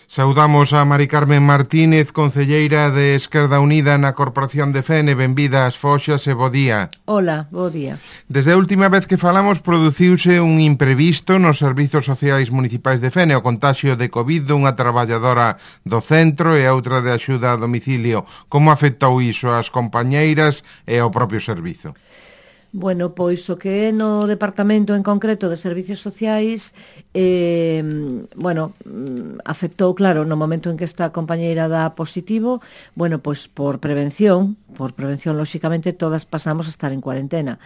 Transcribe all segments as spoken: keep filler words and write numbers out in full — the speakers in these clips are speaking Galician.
Saudamos a Mari Carmen Martínez, concelleira de Esquerda Unida na Corporación de Fene. Benvida ás Foxas e bo día. Hola, bo día. Desde a última vez que falamos produciuse un imprevisto nos servizos sociais municipais de Fene, o contaxio de COVID dunha traballadora do centro e a outra de axuda a domicilio. Como afectou iso ás compañeiras e ao propio servizo? Bueno, pois o que é no Departamento en concreto de Servicios Sociais, eh, bueno, afectou, claro, no momento en que esta compañeira dá positivo, bueno, pois por prevención, por prevención, lóxicamente, todas pasamos a estar en cuarentena.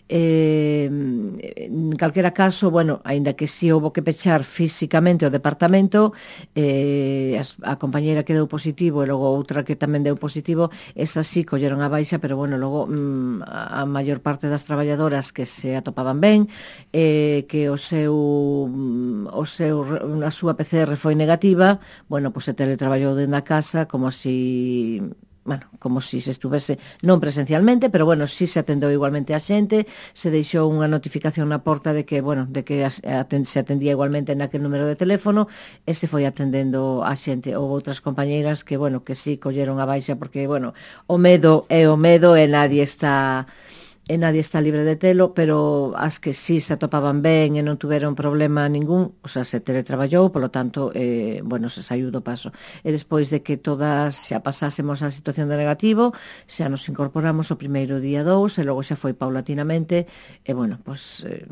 Eh, en calquera caso, bueno, aínda que si houbo que pechar físicamente o departamento, eh, a compañeira que deu positivo e logo outra que tamén deu positivo, esa sí colleron a baixa, pero bueno, logo mm, a maior parte das traballadoras que se atopaban ben, eh, que o seu o seu a súa P C R foi negativa, bueno, pois se teletraballou dentro da casa como si bueno, como si se estuvese non presencialmente, pero bueno, si se atendeu igualmente a xente, se deixou unha notificación na porta de que, bueno, de que se atendía igualmente naquele número de teléfono e se foi atendendo a xente. Houve outras compañeiras que, bueno, que si colleron a baixa porque, bueno, o medo é o medo e nadie está e nadie está libre de telo, pero as que sí se atopaban ben e non tuveron problema ningún, o sea, se teletraballou, polo tanto, eh, bueno, se saiu do paso. E despois de que todas xa pasásemos a situación de negativo, xa nos incorporamos o primeiro día dous, e logo xa foi paulatinamente, e bueno, pues, eh,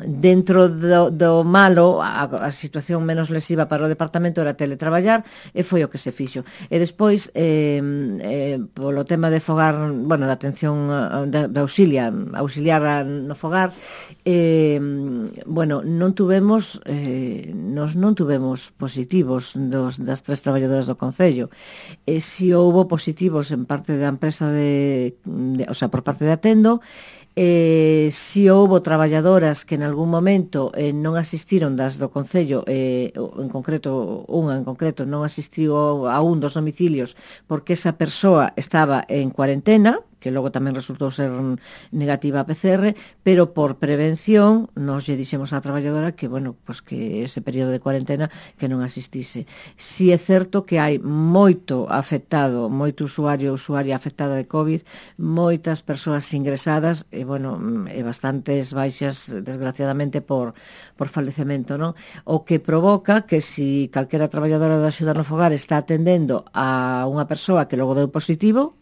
dentro do, do malo, a, a situación menos lesiva para o departamento era teletraballar, e foi o que se fixo. E despois, eh, eh, polo tema de fogar, bueno, da atención da, da auxilio, auxiliar no fogar, eh, bueno, non tuvemos eh, nos non tuvemos positivos dos, das tres traballadoras do Concello. E si houbo positivos en parte da empresa de, de o sea, por parte de Atendo, eh, si houbo traballadoras que en algún momento eh, non asistiron das do Concello, eh, en concreto, unha en concreto non asistiu a un dos domicilios porque esa persoa estaba en cuarentena, que logo tamén resultou ser negativa a P C R, pero por prevención nos lle dixemos á traballadora que, bueno, pues que ese período de cuarentena que non asistise. Si é certo que hai moito afectado, moito usuario usuaria afectada de COVID, moitas persoas ingresadas e, bueno, e bastantes baixas, desgraciadamente, por, por falecemento, non? O que provoca que si calquera traballadora da axuda no fogar está atendendo a unha persoa que logo deu positivo,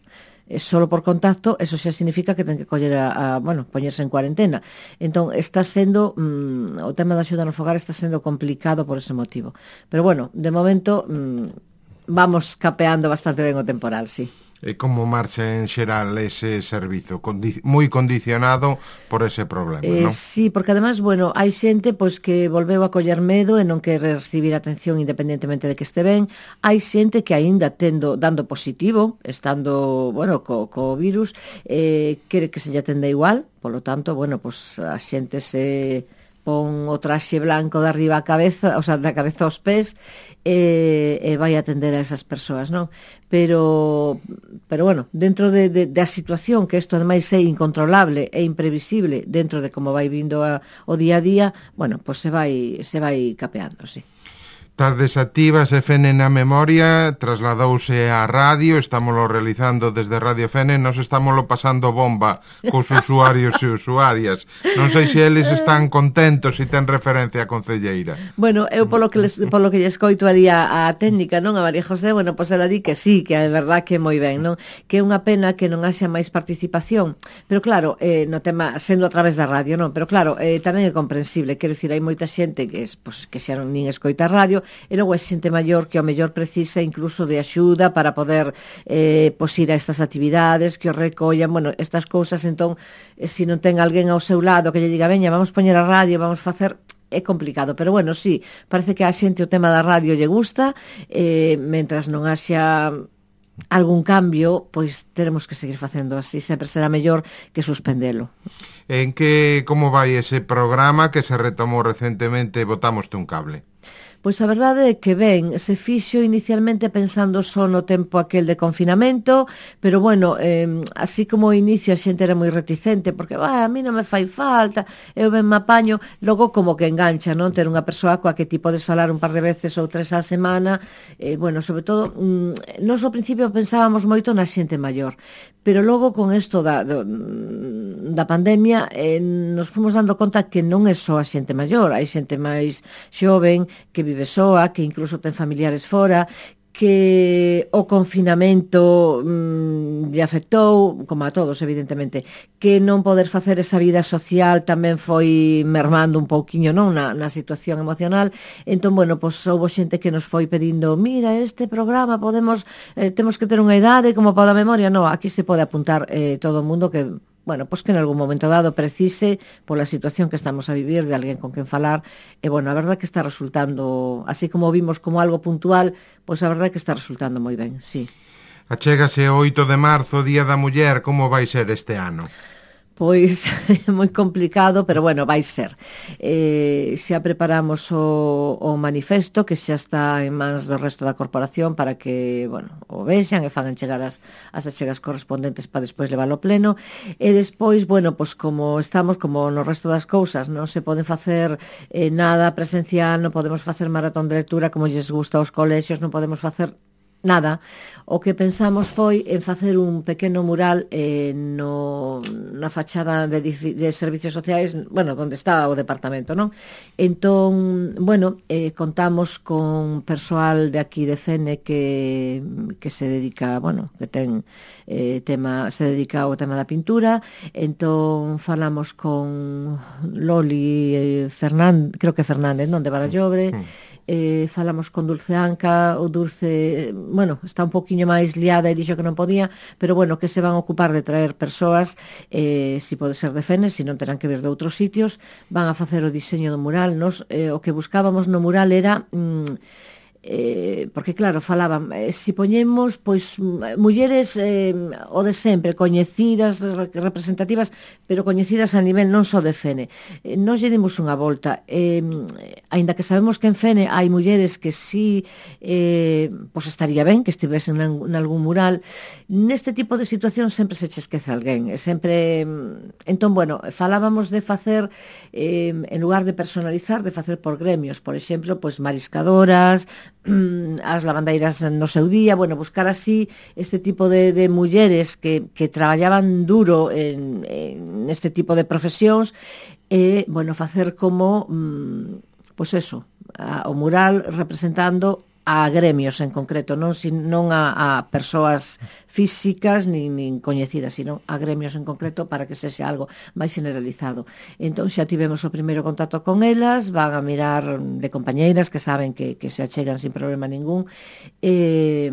solo por contacto, eso xa significa que ten que coller a, a bueno, poñerse en cuarentena. Entón, está sendo mm, o tema da axuda no fogar está sendo complicado por ese motivo. Pero bueno, de momento mm, vamos capeando bastante ben o temporal, sí. E como marcha en xeral ese servizo? Condi- moi condicionado por ese problema, eh, non? Sí, porque además, bueno, hai xente pois que volveu a coller medo e non quere recibir atención independentemente de que este ben. Hai xente que aínda tendo dando positivo, estando, bueno, co, co virus, eh, quere que se lle atenda igual, polo tanto, bueno, pois a xente se pon o traxe blanco de arriba a cabeza, o sea, da cabeza aos pés, e, e vai atender a esas persoas, non? Pero, pero bueno, dentro de, de, de a situación, que isto ademais é incontrolable e imprevisible dentro de como vai vindo a, o día a día, bueno, pois se vai, se vai capeando, sí. Tardes activas e Fene na memoria trasladouse á radio, estámoslo realizando desde Radio Fene, nos estámoslo pasando bomba cos usuarios e usuarias. Non sei se eles están contentos se ten referencia a concelleira. Bueno, eu polo que les, polo que lle escoito ali a, a técnica, non, a María José, bueno, pois ela di que sí, que é verdad que é moi ben, non? Que é unha pena que non haxa máis participación, pero claro, eh, no tema sendo a través da radio, non? Pero claro, eh, tamén é comprensible, quero dicir, hai moita xente que, es, pues, que xa non nin escoita radio, e logo é xente maior que ao mellor precisa incluso de axuda para poder eh, pois ir a estas actividades, que o recollan, bueno, estas cousas. Entón, eh, se non ten alguén ao seu lado que lle diga, veña, vamos poñer a radio, vamos facer, é complicado, pero bueno, sí, parece que a xente o tema da radio lle gusta, eh, mentras non haxa algún cambio, pois teremos que seguir facendo así, sempre será mellor que suspendelo. En que, como vai ese programa que se retomou recentemente, botámoste un cable? Pois a verdade é que ben, se fixo inicialmente pensando só no tempo aquel de confinamento, pero bueno, eh, así como ao inicio a xente era moi reticente, porque ah, a mí non me fai falta, eu ben me apaño, logo como que engancha, non? Ter unha persoa coa que ti podes falar un par de veces ou tres á semana, eh, bueno, sobre todo, mm, nós ao principio pensábamos moito na xente maior, pero logo con isto da, do, da pandemia eh, nos fomos dando conta que non é só a xente maior, hai xente máis xoven que vive soa, que incluso ten familiares fora, que o confinamento mmm, lle afectou, como a todos, evidentemente, que non poder facer esa vida social tamén foi mermando un pouquiño, non, na, na situación emocional. Entón, bueno, pois houve xente que nos foi pedindo, mira, este programa podemos, eh, temos que ter unha idade como para a memoria. No, aquí se pode apuntar eh, todo o mundo que bueno, pois que en algún momento dado precise pola situación que estamos a vivir de alguén con quen falar, e bueno, a verdade que está resultando, así como vimos como algo puntual, pois a verdade que está resultando moi ben, sí. Achégase o oito de marzo, Día da Muller, como vai ser este ano? Pois é moi complicado, pero bueno, vai ser. Eh, xa preparamos o, o manifesto que xa está en mans do resto da corporación para que, bueno, o vexan e fagan chegar as, as achegas correspondentes para despois leválo ao pleno. E despois, bueno, pois como estamos, como no resto das cousas, non se pode facer eh, nada presencial, non podemos facer maratón de lectura como lles gusta aos colexios, non podemos facer nada. O que pensamos foi en facer un pequeno mural eh, no, na fachada de, de servicios sociais, bueno, onde está o departamento, non? Entón, bueno, eh, contamos con persoal de aquí de Fene que, que se dedica, bueno, que ten eh, tema, se dedica ao tema da pintura. Entón, falamos con Loli eh, Fernández, creo que Fernández, non? De Barallobre. Mm. Eh, falamos con Dulce Anca, o Dulce, bueno, está un poquinho máis liada e dixo que non podía, pero bueno, que se van a ocupar de traer persoas, eh, si pode ser de Fene, si non terán que vir de outros sitios, van a facer o diseño do mural. Nos, eh, o que buscábamos no mural era mm, eh, porque claro, falaban eh, si poñemos pois mulleres eh, o de sempre, coñecidas, representativas, pero coñecidas a nivel non só de Fene. Eh, nos lle dimos unha volta, eh, aínda que sabemos que en Fene hai mulleres que sí eh, pois estaría ben que estivesen en algún mural. Neste tipo de situación sempre se che esquece alguén, e sempre entón, bueno, falábamos de facer eh, en lugar de personalizar, de facer por gremios, por exemplo, pois mariscadoras, as lavandeiras no seu día, bueno, buscar así este tipo de, de mulleres que, que traballaban duro en, en este tipo de profesións e, bueno, facer como pois eso, a, o mural representando a gremios en concreto, non, sin, non a, a persoas físicas nin, nin coñecidas, sino a gremios en concreto para que sexa algo máis generalizado. Entón xa tivemos o primeiro contacto con elas, van a mirar de compañeiras que saben que, que se achegan sin problema ningún, e...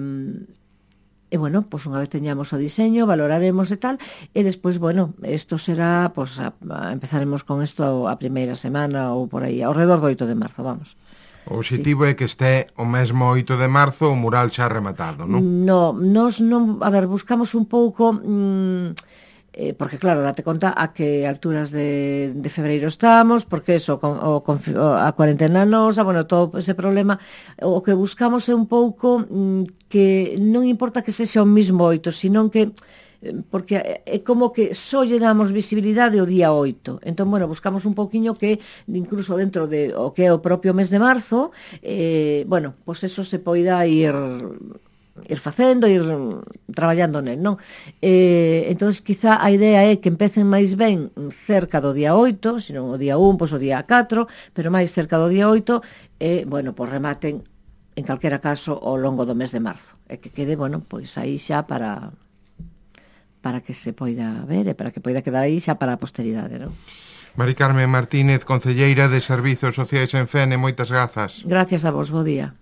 E, bueno, pois unha vez teñamos o diseño, valoraremos e tal, e despois, bueno, isto será, pois, a, a empezaremos con isto a primeira semana ou por aí, ao redor do oito de marzo, vamos. O objetivo sí. É que este o mesmo oito de marzo o mural xa rematado, non? No, nos non, a ver, buscamos un pouco mmm, eh, porque claro, date conta a que alturas de, de febreiro estamos, porque eso, con, o, con, a cuarentena nosa, bueno, todo ese problema, o que buscamos é un pouco mmm, que non importa que sexa o mismo oito, sino que porque é como que só lle damos visibilidade o día oito. Entón, bueno, buscamos un poquinho que incluso dentro de o que é o propio mes de marzo, eh, bueno, pois eso se poida ir ir facendo, ir traballando nel, non? Eh, entón, quizá a idea é que empecen máis ben cerca do día oito, senón o día un, pois o día catro, pero máis cerca do día oito, e, bueno, pois rematen, en calquera caso, ao longo do mes de marzo. E que quede, bueno, pois aí xa para... para que se poida ver e para que poida quedar aí xa para a posteridade, non? Mari Carmen Martínez, concelleira de Servizos Sociais en Fene, moitas grazas. Gracias a vos, bo día.